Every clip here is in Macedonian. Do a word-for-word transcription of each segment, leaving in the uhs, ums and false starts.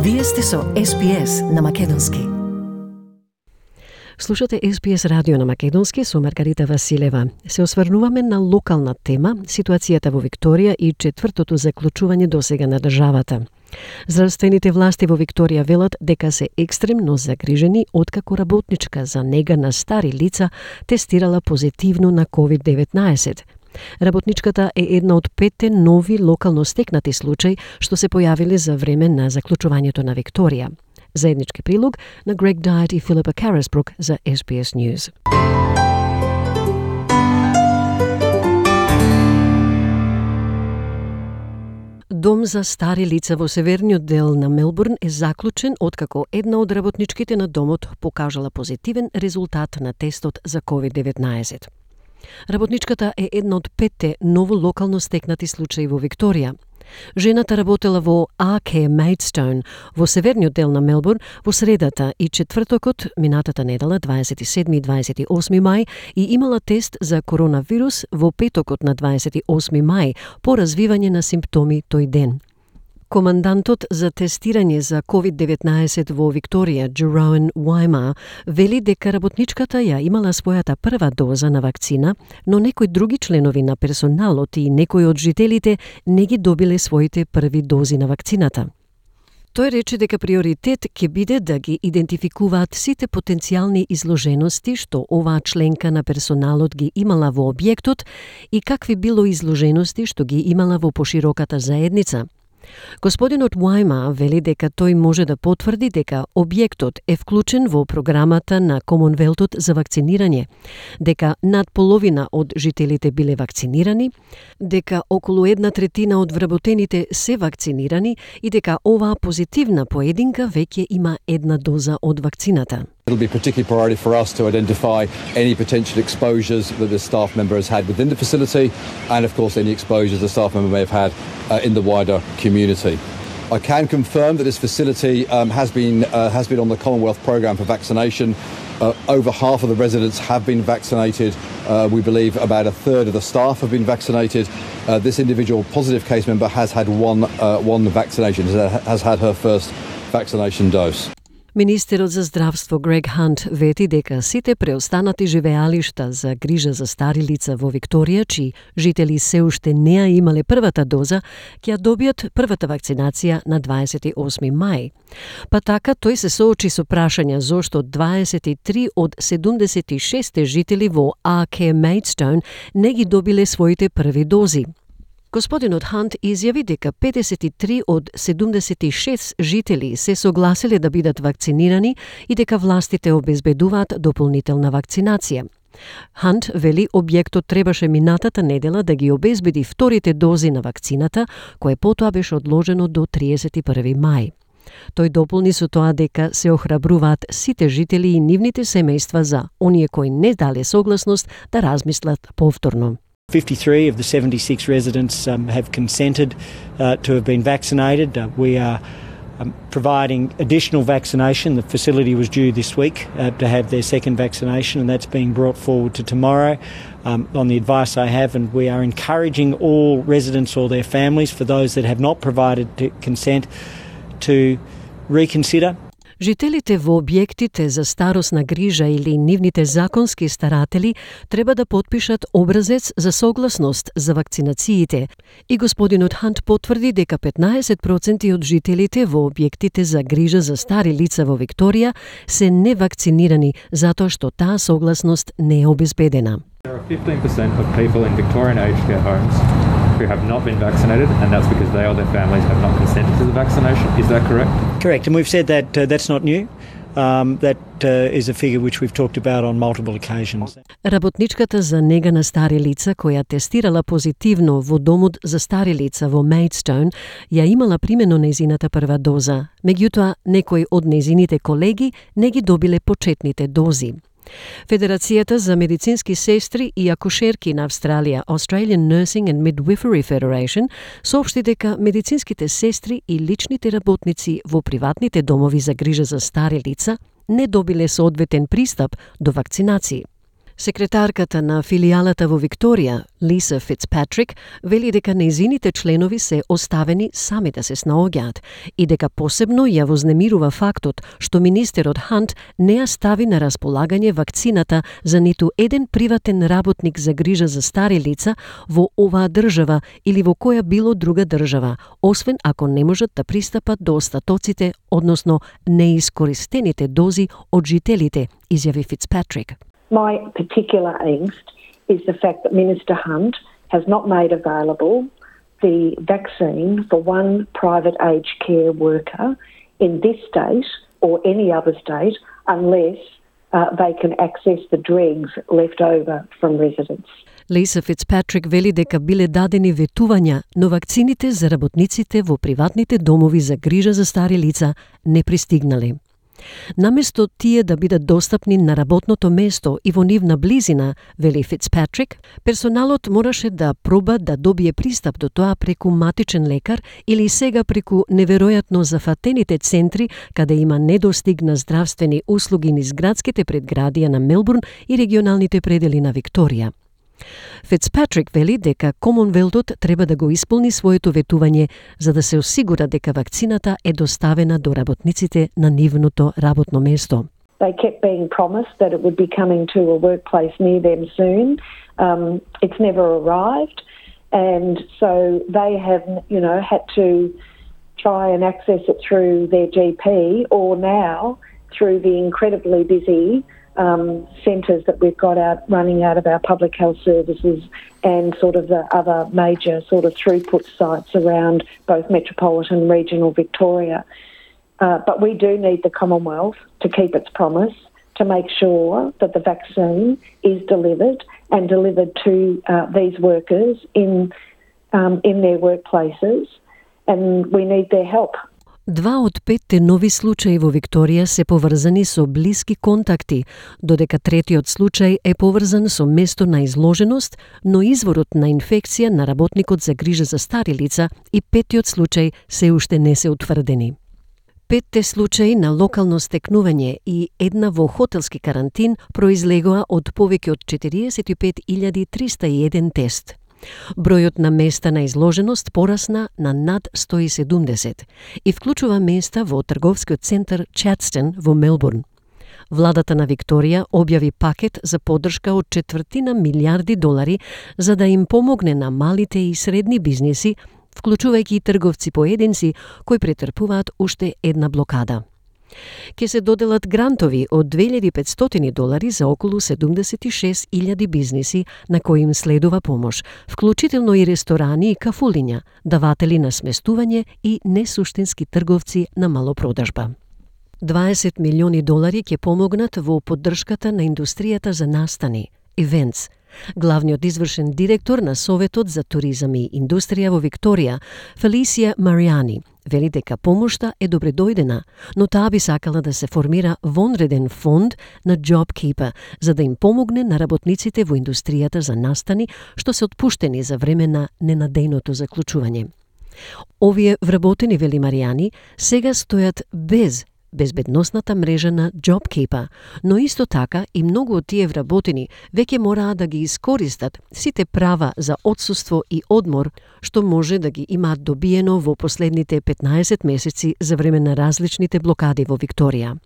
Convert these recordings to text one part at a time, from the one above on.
Вие сте со Ес Би Ес на Македонски. Слушате Ес Би Ес радио на Македонски со Маргарита Василева. Се осврнуваме на локална тема, ситуацијата во Викторија и четвртото заклучување досега на државата. Здравствените власти во Викторија велат дека се екстремно загрижени откако работничка за нега на стари лица тестирала позитивно на ковид деветнаесет. Работничката е една од петте нови локално стекнати случаи што се појавиле за време на заклучувањето на Викторија. Заеднички прилог на Грег Дайт и Филипа Карасбрук за Ес Би Ес News. Дом за стари лица во северниот дел на Мелбурн е заклучен откако една од работничките на домот покажала позитивен резултат на тестот за ковид деветнаесет. Работничката е една од петте ново локално стекнати случаи во Викторија. Жената работела во А К Maidstone во северниот дел на Мелбурн во средата и четвртокот минатата недела дваесет и седми и дваесет и осми мај и имала тест за коронавирус во петокот на дваесет и осми мај по развивање на симптоми тој ден. Командантот за тестирање за ковид деветнаесет во Викторија, Джероен Уайма, вели дека работничката ја имала својата прва доза на вакцина, но некои други членови на персоналот и некои од жителите не ги добиле своите први дози на вакцината. Тој рече дека приоритет ќе биде да ги идентификуваат сите потенцијални изложености што оваа членка на персоналот ги имала во објектот и какви било изложености што ги имала во пошироката заедница. Господинот Уайма вели дека тој може да потврди дека објектот е вклучен во програмата на Комонвелтот за вакцинирање, дека над половина од жителите биле вакцинирани, дека околу една третина од вработените се вакцинирани и дека оваа позитивна поединка веќе има една доза од вакцината. It'll be particularly priority for us to identify any potential exposures that the staff member has had within the facility and, of course, any exposures the staff member may have had uh, in the wider community. I can confirm that this facility um, has been uh, has been on the Commonwealth programme for vaccination. Uh, over half of the residents have been vaccinated. Uh, we believe about a third of the staff have been vaccinated. Uh, this individual positive case member has had one, uh, one vaccination, has had her first vaccination dose. Министерот за здравство Грег Хант вети дека сите преостанати живеалишта за грижа за стари лица во Викторија, чии жители се уште не ја имале првата доза, ќе ја добијат првата вакцинација на дваесет и осми мај. Па така тој се соочи со прашања зошто дваесет и три од седумдесет и шест жители во А К Maidstone не ги добиле своите први дози. Господинот Хант изјави дека педесет и три од седумдесет и шест жители се согласиле да бидат вакцинирани и дека властите обезбедуваат дополнителна вакцинација. Хант вели објектот требаше минатата недела да ги обезбеди вторите дози на вакцината, кое потоа беше одложено до триесет и први мај. Тој дополни со тоа дека се охрабруваат сите жители и нивните семејства за оние кои не дале согласност да размислат повторно. fifty-three of the seventy-six residents um, have consented uh, to have been vaccinated. Uh, we are um, providing additional vaccination. The facility was due this week uh, to have their second vaccination, and that's being brought forward to tomorrow um, on the advice I have, and we are encouraging all residents or their families, for those that have not provided consent, to reconsider. Жителите во објектите за старосна грижа или нивните законски старатели треба да потпишат образец за согласност за вакцинациите. И господинот Хант потврди дека петнаесет проценти од жителите во објектите за грижа за стари лица во Викторија се невакцинирани затоа што таа согласност не е обезбедена. There are fifteen percent of people in Victorian aged care homes who have not been vaccinated, and that's because they or their families have not consented to the vaccination. Is that correct? Correct, and we've said that uh, that's not new. Um, that uh, is a figure which we've talked about on multiple occasions. Работничката за нега на стари лица која тестирала позитивно во домот за стари лица во Maidstone ја имала примено нејзината прва доза. Меѓутоа, некои од нејзините колеги не ги добиле почетните дози. Федерацијата за медицински сестри и акушерки на Австралија, Australian Nursing and Midwifery Federation, соопшти дека медицинските сестри и личните работници во приватните домови за грижа за стари лица не добиле соодветен пристап до вакцинации. Секретарката на филијалата во Викторија, Лиса Фицпатрик, вели дека нејзините членови се оставени сами да се снаоѓаат и дека посебно ја вознемирува фактот што министерот Хант не ја стави на располагање вакцината за ниту еден приватен работник за грижа за стари лица во оваа држава или во која било друга држава, освен ако не можат да пристапат до остатоците, односно неискористените дози од жителите, изјави Фицпатрик. My particular angst is the fact that Minister Hunt has not made available the vaccine for one private aged care worker in this state or any other state unless uh, they can access the dregs left over from residents. Лиса Фицпатрик вели дека биле дадени ветувања, но вакцините за работниците во приватните домови за грижа за стари лица не пристигнале. Наместо тие да бидат достапни на работното место и во нивна близина, вели Фицпатрик, персоналот мораше да проба да добие пристап до тоа преку матичен лекар или сега преку неверојатно зафатените центри каде има недостиг на здравствени услуги низ градските предградија на Мелбурн и регионалните предели на Викторија. Фицпатрик вели дека Комонвелтот треба да го исполни своето ветување за да се осигура дека вакцината е доставена до работниците на нивното работно место. They kept being promised that it would be coming to a workplace near them soon. Um, it's never arrived, and so they have, you know, had to try and access it through their G P or now through the incredibly busy Um, centres that we've got out running out of our public health services and sort of the other major sort of throughput sites around both metropolitan and regional Victoria. Uh, but we do need the Commonwealth to keep its promise to make sure that the vaccine is delivered and delivered to uh, these workers in um, in their workplaces, and we need their help. Два од петте нови случаи во Викторија се поврзани со блиски контакти, додека третиот случај е поврзан со место на изложеност, но изворот на инфекција на работникот за грижа за стари лица и петтиот случај се уште не се утврдени. Петте случаи на локално стекнување и една во хотелски карантин произлегоа од повеќе од четириесет и пет илјади триста и еден тест. Бројот на места на изложеност порасна на над сто и седумдесет и вклучува места во трговскиот центар Чатстон во Мелбурн. Владата на Викторија објави пакет за поддршка од четвртина милиарди долари за да им помогне на малите и средни бизниси, вклучувајќи и трговци поединци кои претрпуваат уште една блокада. Ке се доделат грантови од две илјади и петстотини долари за околу седумдесет и шест илјади бизниси на кои им следува помош, вклучително и ресторани и кафулиња, даватели на сместување и несуштински трговци на малопродажба. дваесет милиони долари ќе помогнат во поддршката на индустријата за настани, Events. Главниот извршен директор на Советот за туризам и индустрија во Викторија, Фелисија Маријани, вели дека помошта е добредојдена, но таа би сакала да се формира вонреден фонд на JobKeeper за да им помогне на работниците во индустријата за настани што се отпуштени за време на ненадејното заклучување. Овие вработени, вели Маријани, сега стојат без безбедносната мрежа на JobKeeper, но исто така и многу од тие вработени веќе мораат да ги искористат сите права за отсуство и одмор што може да ги имаат добиено во последните петнаесет месеци за време на различните блокади во Викторија.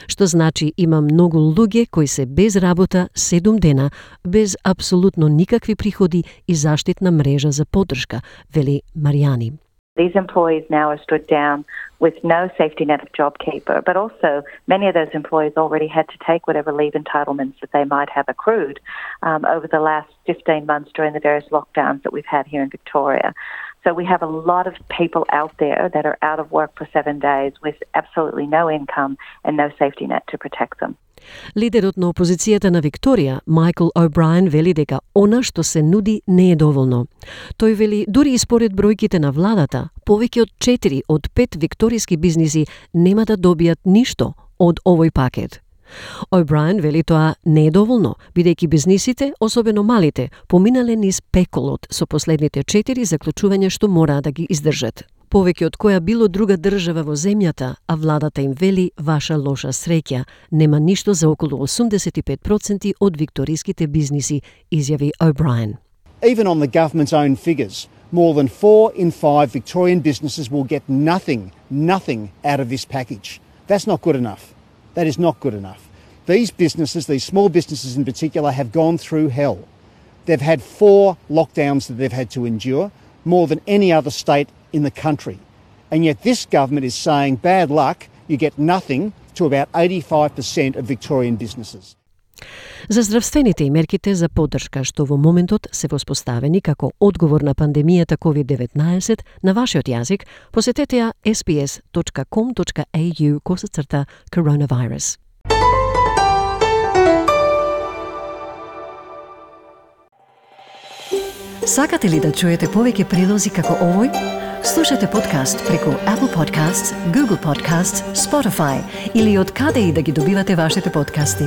Што значи има многу луѓе кои се без работа седум дена, без апсолутно никакви приходи и заштитна мрежа за поддршка, вели Маријани. These employees now are stood down with no safety net of JobKeeper, but also many of those employees already had to take whatever leave entitlements that they might have accrued um, over the last fifteen months during the various lockdowns that we've had here in Victoria. So we have a lot of people out there that are out of work for seven days with absolutely no income and no safety net to protect them. Лидерот на опозицијата на Викторија, Майкл О'Брајен, вели дека она што се нуди не е доволно. Тој вели дури и според бројките на владата, повеќе од четири од пет викториски бизниси нема да добијат ништо од овој пакет. О'Брајен вели тоа не е доволно, бидејќи бизнисите, особено малите, поминале низ пеколот со последните четири заклучувања што мора да ги издржат. повеќе од која било друга држава во земјата, а владата им вели ваша лоша среќа. Нема ништо за околу осумдесет и пет проценти од викториските бизниси, изјави O'Brien. Even on the government's own figures, more than four in five Victorian businesses will get nothing, nothing out of this package. That's not good enough. That is not good enough. These businesses, these small businesses in particular, have gone through hell. They've had four lockdowns that they've had to endure, more than any other state in the country. And yet this government is saying, bad luck, you get nothing to about eighty-five percent of Victorian businesses. За здравствените и мерките за поддршка што во моментот се воспоставени како одговор на пандемијата ковид деветнаесет на вашиот јазик, посетете ја ес би ес точка ком точка ей ю косацрта coronavirus. Сакате ли да чуете повеќе прилози како овој? Слушате подкаст преку Apple Podcasts, Google Podcasts, Spotify или од каде и да ги добивате вашите подкасти.